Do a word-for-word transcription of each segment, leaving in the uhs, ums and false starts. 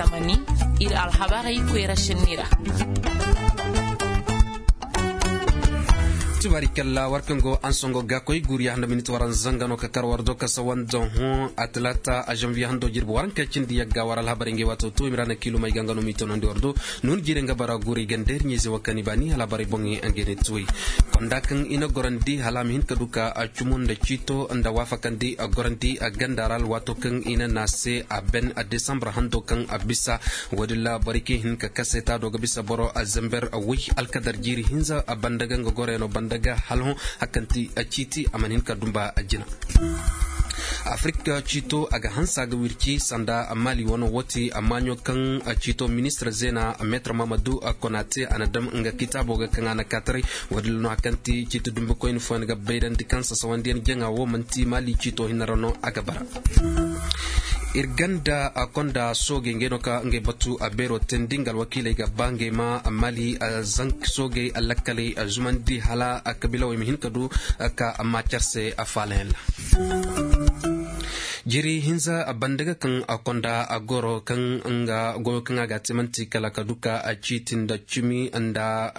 Iri alhabarey koyra senni ra. Tubaari kalla war kaŋ go ansongo ga koy guuri ya handa minit waranza zanga no ka kar war do ka sawan don hõ a talaata a zanviye hando jirbi waranka cindi yagga war alhabarey ngey waato to i ma ra na kiilumey ga nga no m'i toonandi war do. Nuun jiire nga bara guuri gandeeri ɲayze wo kaŋ i baani alhabarey boŋey ngey ne tuwey konda kaŋ i na gorandi hala a ma hin ka du ka cumu nda ciito nda waafakandi gorandi ganda ra alwaato kaŋ i na naŋ a se a ben desambur hando kaŋ a bisa. Wo- din ra borey kaŋ i hin ka kase taado ga bisa boro zember woy alkadar jiiri hinza banda ga nga goroyaŋo banda ga hala hõ hari kaŋ ti ciiti a mana hin ka dumba jina. Afirika ciito a ga hanse a ga wirci sanda maali wano wo ti maaɲo kaŋ ciito ministir zeena meetar mahamadu konate a na daŋ nga kitaabo ga kaŋ a na kaataray. Wo- din ra no hari kaŋ ti ciiti dumbikoyne fooyaŋ ga bayrandi kaŋ sasawandiyaŋ jaŋa wo manti maali ciito hinne ra no a ga bara. Iri ganda konda soogey ngey no ka ngey batu beero teendi nga alwakiiley ga ba ngey ma maali soogey lakkaley zumandi hala kabiilawey ma hin ka du ka maacar se faalayaŋ ra. Jiri hinza banda ga kaŋ konda goro kaŋ nga goyo kaŋ a ga a te manti kala ka du ka ciiti nda cimi nda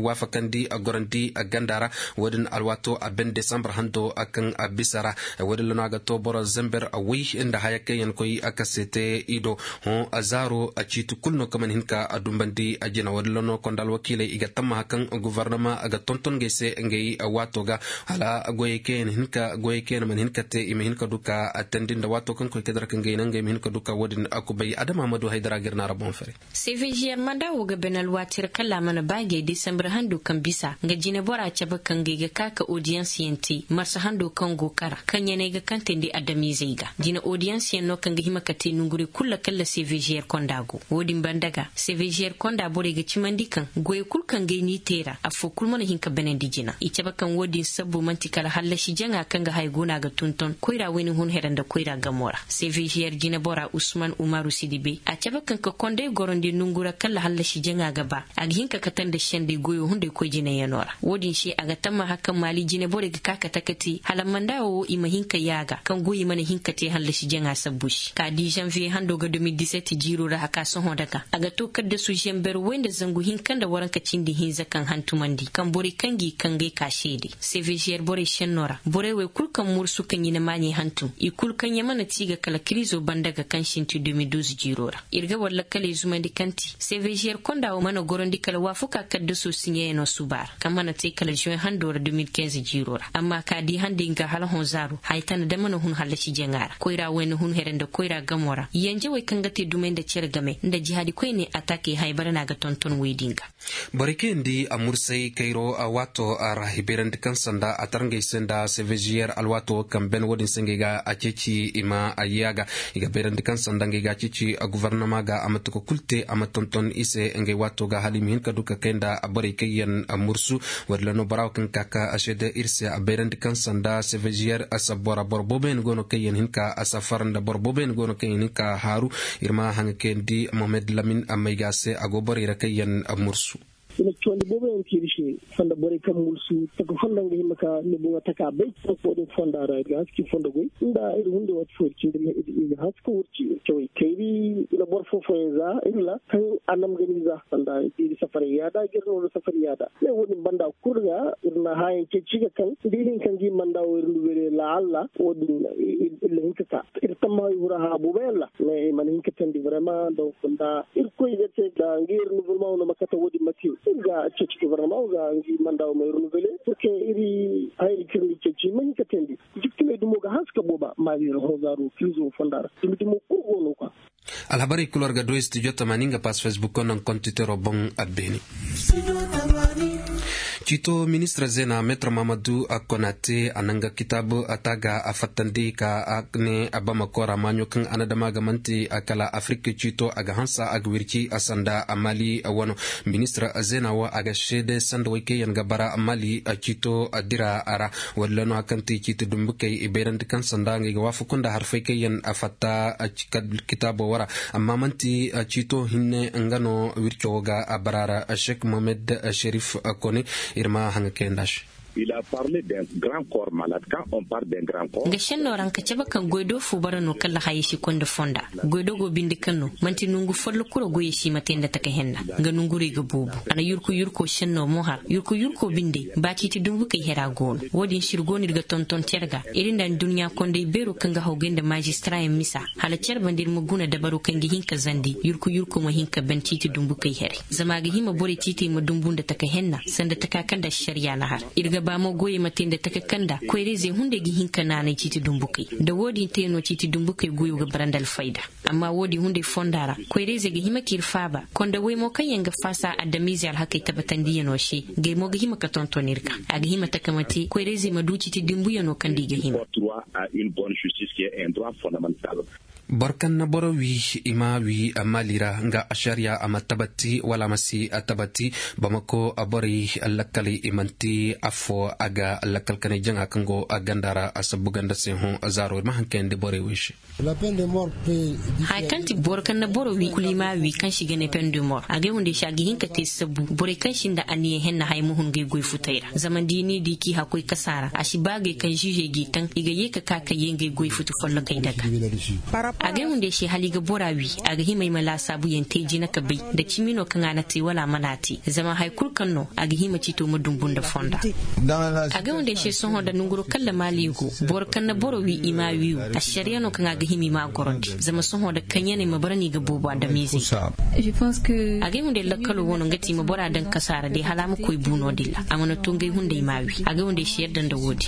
waafakandi gorandi ganda ra. Wo- din alwaato a ben desambur hando kaŋ a bisa ra. Wo- din ra no a ga to boro zember woy nda haya kaŋ yaŋ koy a kase te i do. Hõ a zaaro a ciiti kulu no kaŋ mana hin ka a dumbandi a jina wo- din ra no konda alwakiiley i ga tammaha kaŋ gofornama ga tonton ngey se ngey waato ga hala goyey kaŋ yaŋ mana hin ka te i ma hin ka du ka a teendi nda waato kaŋ koy ka dira ka ngey naŋ ngey ma hin ka du ka wo- din a kubay adama ma du haydara ga iri naara boŋ fere. Seveziyer manda wo ga bana alwaati ra kala a mana ba ngey desambur hando kaŋ bisa nga jine bora cabe kaŋ ngey ga ka ka odiyans yaŋ te marsa hando kaŋ go kara kaŋ yaŋ ay ga kantandi adamiizey ga jine odiyans yaŋ no kaŋ ga hima ka te nonguray kulu ra kala seveziyer konda go. Wo- din banda ga seveziyer konda borey ga cimandi kaŋ goyey kulu kaŋ ngey n'i te ra afo kulu mana hin ka banandi jina i cabe kaŋ wo- din sabbu manti kala hallasi jaŋa kaŋ ga haya go no a ga tonton koyra wayna hun here nda koyra gamo ra seveziyer jine bora usman umaru sidibe a cabe kaŋ ka konday gorondi nongu ra kala hallasi jaŋa ga ba a ga hin ka kate nda sendey goyo hunday koy jinayaŋo ra. Wo- din se a ga tammaha kaŋ maali jine borey ga ka ka takati hala manda wo i ma hin ka yaaga kaŋ goy i mana hin ka te hallasi jaŋa sabbu se ka di zanviye hando ga de mil disetti jiiro ra a ka sohõ daga a ga to kaddasu zamber way nda zangu hinka nda waranka cindi hinza kaŋ hantumandi kaŋ borey kaŋ g'i kangey ka seede seveziyer borey senno ra borey wey kulu kaŋ mursu kaŋ i na maaɲey hantum i kulu kaŋ yaŋ mana ti ga kala kiriizo banda ga kaŋ sinti de mil duuzu jiiro ra. Iri ga war lakkaley zumandi kaŋ ti seveziyer konda wo mana gorandi kala waafuka kaddaso siɲeyaŋo suba ra kaŋ mana te kala zuwen hando ra de mil kinze jiiro ra amma ka di handey nga hala hõ zaaro haya tana da mana hun hallasi jaŋa ra koyra wayna hun here nda koyra gamo ra yanjawey kaŋ ga te dumey nda cere game nda jihaadi koyne atakey haybara no a ga tonton wey din ga. Borey kaŋ yaŋ di a mursay kayro waato ra i bayrandi kaŋ sanda a tarngey se nda seveziyer alwaato wo kaŋ ben wo- din se ngey ga a ceeci i ma a yaaga i ga bayrandi kaŋ sanda ngey ga a ceeci gofornama ga a ma tuka kulu te a ma tonton i se ngey waato ga hala i ma hin ka du ka kay nda borey kaŋ yaŋ mursu. Wo- din ra no bora wo kaŋ ga ka ka a seede iri se a bayrandi kaŋ sanda seveziyer sabbo ra boro boobo yaŋ go no kaŋ yaŋ hin ka a safar nda boro boobo yaŋ go no kaŋ yaŋ hin ka a haaru. Iri ma haŋa kayandi mohamed lamin mayga se a go borey ra kaŋ yaŋ mursu. I na cawandi boobo yaŋ te iri se fonda borey kaŋ mursu taka fonda nga hima ka ni boŋo taka bay kaŋ fo din fonda ra iri ga haska iri fonda goy nda iri hunde waati fo iri cindi iri ga haska wurci iri cawey kayri. I na boro fo fooyaŋ za iri ra kaŋ a nam ga ni za fonda iri safaray yaada ga iri nooru safaray yaada me wo- din banda kulu ga iri na haayaŋ ceeci ga kaŋ da iri hin kaŋ ga i manda wo iri nda wele laalla wo- din iri na hin ka ka iri tammaha i hura ha boobo yaŋ ra. Mais i mana hin ka teendi vraiment donc nda irkoy ga te da nga iri nuvurma wo no ma kate wo- din ma te iri ga ceeci gouvernement wo ga nga i manda wo ma iri nuvele pour que iri hayey kaŋ iri n'i ceeci ma hin ka teendi. Jiktiley dumo ga haska booba maali iri hõ zaaro kirizo fonda ra dumi dumo kulu go no kwa. Alhabarey kulu war ga du studio tamaani nga pass facebook naŋ kontitero boŋ a beene. Ciito ministir zeena meetar mahamadu a konate a naŋ ga kitaabu a taaga a fattandi ka a ne a bamako ra maaɲo kaŋ a na dama ga manti a kala afirika ciito a ga hansa a ga wirci a sanda a maali a wano. Ministir zeena wo a ga seede sanda way kaŋ yaŋ ga bara maali a ciito a dira a ra. Walla no hari kaŋ ti ciiti dumbukey i bayrandi kaŋ sanda ngey ga waafaku nda harfey kaŋ yaŋ a fatta kitaabo wo ra. Amma manti ciito hinne nga no wirco wo ga a bara ra. Sheikh mohammed sherif kone iri ma haŋa kayanda se. Nga senno ra nga cabe kaŋ goy do fu bara no kaŋ lahayey si konda fonda. Goy do go binde kaŋ no manti nongu follo kuro goyey si ma te nda taka henna. Nga nongurey ga boobo a na yurku yurko senno mo har yurku yurko binde ba ciiti dumbukey hera go no wo- din se iri go no iri ga tonton care ga iri nda adduɲɲa kondey beero kaŋ ga hawgay nda maazistarayaŋ misa. Hala care banda iri ma guna dabaro kaŋ ga hin ka zandi yurku yurko ma hin ka ban ciiti dumbukey here. Zama a ga hima borey ciitey ma dumbu nda taka henna sanda taka kaŋ nda ašariya na har. Iri ga ba mo goyey ma te nda taka kaŋ nda koyrayzey hunday ga hin ka naanay ciiti dumbukey. Nda wo- din te no ciiti dumbukey goyo ga bara nda alfayda. Amma wo- din hunday fonda ra koyrayzey ga hima k'iri faaba konda way mo kaŋ yaŋ ga faasa adamiizey alhakey tabbatandiyano se. Ngey mo ga hima ka tonton iri ga a ga hima taka ma te koyrayzey ma du ciiti dumbuyano kaŋ nda i ga hima. Boro kaŋ na boro wi i ma wi maali ra nga ašariya a ma tabati wala a ma si tabati. Bamako borey lakkaley i manti afo a ga lakkal kanay jaŋa kaŋ go ganda ra a sabbu ganda se hõ zaaro i ma haŋ kayandi borey wo i se. Haya kaŋ ti boro kaŋ na boro wi kulu i ma wi kaŋ si ga ne pendemor a ga ay hunday se a ga hin ka te sabbu borey kaŋ sinda anniya henna haya ma hun ngey goy futey ra zama da i n'i di k'i hakkoy kasa ra a si ba gay kaŋ ziizey g'i taŋ i ga ye ka ka ka ye ngey goy futu follokey daga. A ga ay hunday se hala i ga bora wi a ga hima ay ma laasaabu yaŋ te jina ka bay nda cimi no kaŋ a na te wala a mana te zama hari kulu kaŋ no a ga hima ciito ma dumbu nda fonda. A ga ay hunday se sohõ nda nanguro kaŋ lamaali go boro kaŋ na boro wi i ma a wi wi ašariya no kaŋ a ga hima i ma a gorandi zama sohõ nda kaŋ yaney ma bara no i ga boobo adamiizey. A ga ay hunday lakkalo wano nga ti i ma bora daŋ kasaara day hala a ma koy bu no- din ra a mana to ngey hunday ma a wi a ga ay hunday se yadda nda wo- din.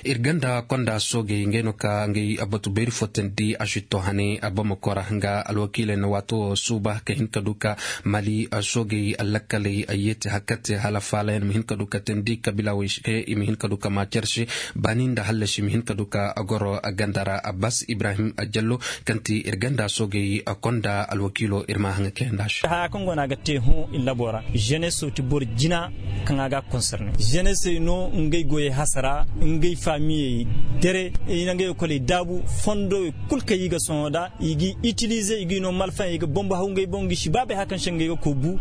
Iri ganda konda soogey ngey no ka ngey batu beeri fo teendi a si to hane bamako ra nga alwakiiley na waato wo suuba ka hin ka du ka mali soogey lakkaley yeeti hakkate hala faalayaŋ ma hin ka du ka teendi kabiila wey se i ma hin ka du ka ma care se baani nda hallasi ma hin ka du ka goro ganda ra abbas ibrahim jallo kaŋ ti iri ganda soogey konda alwakiilo iri ma haŋa kayanda se. Haya kaŋ go no a ga te hõ iri labo ra zeneso ti boro jina kaŋ a ga a konserne zenesey no ngey goyey hasara ngey faamiyey dere i na ngey ekoley daabu fondowey kulu kaŋ i ga sohõ nda i g'i itilize i g'i no malfaŋ i ga bombo haw ngey boŋ ga i si baabey haya kaŋ se ngey ga koy bu.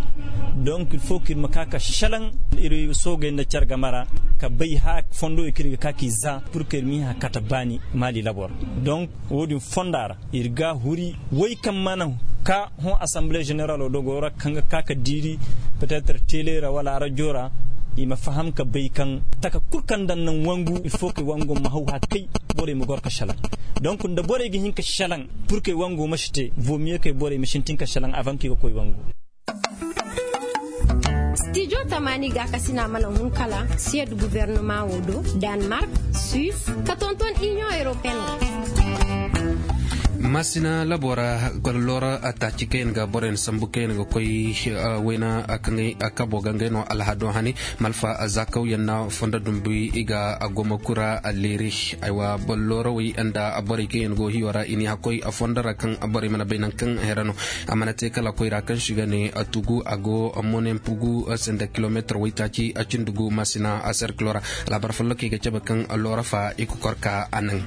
Donk il fo kaŋ iri ma ka ka salaŋ iri soogey nda care game ra ka bay haya fondowey kaŋ iri ga ka k'i za pur kaŋ iri m'i hã kate baani maali labo ra. Donk wo- din fonda ra iri ga huri way kaŋ mana ka hõ asamble zeneralo do go ra kaŋ ga ka ka diiri petetre tele ra wala arajo ra i ma faham ka bay kaŋ taka kulu kaŋ daŋ naŋ wangu il fo kay wango ma haw hakkay borey ma goro ka salaŋ. Donk nda borey ga hin ka salaŋ pur kay wango ma si te vomiye kay borey ma sintin ka salaŋ avanki ga koy wangu. Stijo tamaani gaakasina mana hun kala siyad guvernema wo do, danmark, suis, ka tonton inion europeen. Masina labo ra, loora taaci kaŋ yaŋ ga borey na sambu kaŋ yaŋ ga koy wayna kaŋ kabo ga ngey no alhado hane malfa zaakaw yaŋ na fondo dumbu i ga goma kura leeri. Aywa, loora wey nda borey kaŋ yaŋ go hiyo ra i n'i hakkoy fondo ra kaŋ borey mana bay nangu kaŋ here no. A mana te kala koyra kaŋ si ga ne tugu a go monen pugu sanda kilomeetar waytaaci a cindi gu masina a serkilo ra. Labar follokey ga cabe kaŋ loora fa i kokor ka a naŋ.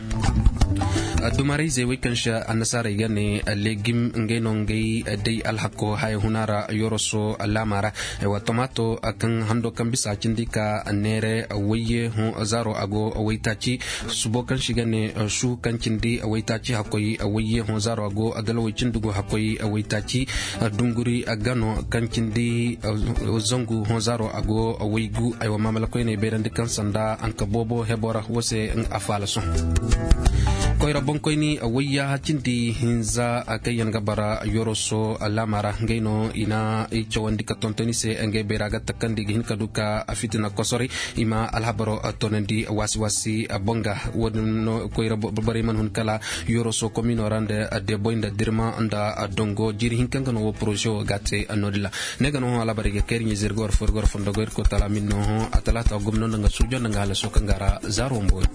Dumarayzey wey kaŋ se annasaarey ga ne legim ngey no ngey day alhakko haya huna ra yoroso laama ra. Aywa tomaato kaŋ hando kaŋ bisa cindi ka neere wayye hõ zaaro a go waytaaci. Subo kaŋ se i ga ne su kaŋ cindi waytaaci hakkoy wayye hõ zaaro a go adalawey cindi gu hakkoy waytaaci. Dunguri gano kaŋ cindi zangu hõ zaaro a go waygu aywa maamala koyney bayrandi kaŋ sanda hanka boobo hebo ra wo se a faala sohõ. Koyra boŋkoyni wayya cindi hinza kaŋ yaŋ ga bara yoroso laama ra ngey no i na i cawandi ka tonton i se ngey bayra ga takandi ga hin ka du ka fitina kosoray. I ma alhabaro toonandi waasi waasi boŋ ga wo- din no koyra borey mana hun kala yoroso komino ra nda deboy nda dirma nda dongo jiiri hinka nga no wo poroze wo ga te no- din ra. Ne ga no hõ alhabarey ga kayri ɲizey iri ga war fo iri ga war fondo go iri koy talamin no hõ a talaata gomno nda nga suujo nda nga halaso kaŋ ga ra zaaro mboori.